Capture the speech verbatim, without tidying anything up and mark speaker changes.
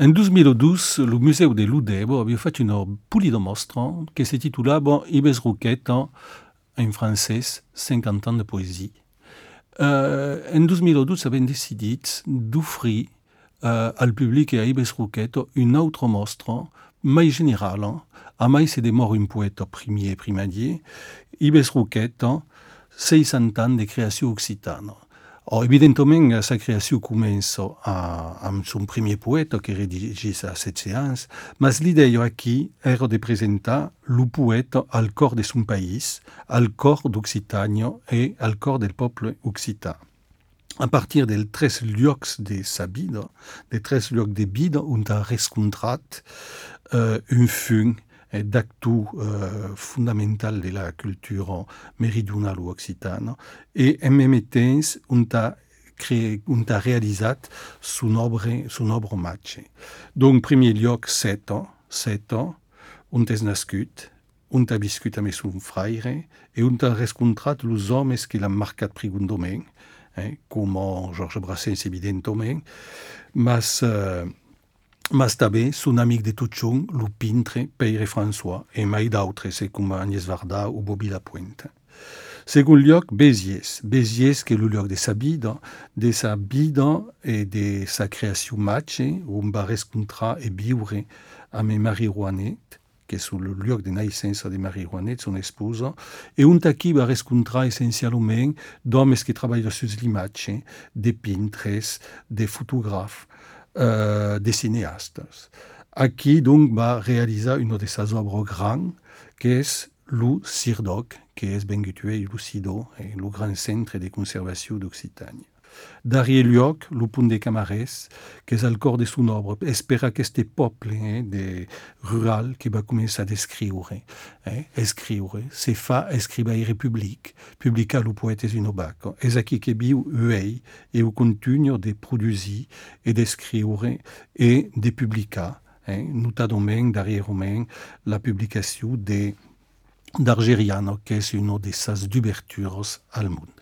Speaker 1: En duemiladodici il Museo de l'Udebo aveva fatto una pulida mostra che si titolava Ibes Rouquet, in francese, cinquanta ans de poésie. Uh, en duemiladodici abbiamo deciso di offrire uh, al pubblico e a Ibes Rouquet un'altra mostra mai generale, a mai se demora un poeta premier primadier, Ibes Rouquet, seixanta ans de creació occitana. Oh, evidentemente, sa creació comença a, amb son primer poeta, que redigís a setze anys, mas l'idea aquí era de presentar el poeta al cor de son país, al cor d'Occitània e al cor del poble occità. A partir dels tres llocs de sa vida, de tres llocs de vida on ha rescontrat uh, un fung d'actu uh, fundamental de la cultura meridional o occitana e en même temps on ha, créé, on ha realitzat son obra, son obra matxe. Donc, primer lloc, set ans, set ans, on és nascut, on ha viscut amb son fraire e on ha rescontrat els homes que l'han marcat prigondament, eh, com Georges Brassens, evidentement, mas... Uh, mas també son amic de Tuchon, el pintre Pere François, e mai d'altres, com Agnès Varda o Bobby Lapointe. Segon lloc, Béziers. Béziers, que és el lloc de sa vida, de sa vida e de sa creació matxe, on va rescontrar e viure amb Marie Rouanet, que és el lloc de naixença de Marie Rouanet, son esposa, e on aquí va rescontrar essencialment d'homes que treballen sus l'imatge, de pintres, de fotògrafs, Uh, de cineastes. Aquí, donc, va realitzar una de ses obres grans, que és el Cirdoc, que és ben gutué i lucidó, eh, el gran centre de conservació d'Occitània. Darrier lloc, el punt de Camarès, que és el cor de son obra, és per aquest poble eh, de rural que va començar a escriure. Eh, escriure, se fa escrivaire public, publicar el poeta in obac. És aquí que viu ell e ho continua de produir e d'escriure e de publicar, eh, notadament, darrerament, la publicació de d'Argeriano, que és una de ses d'obertures al món.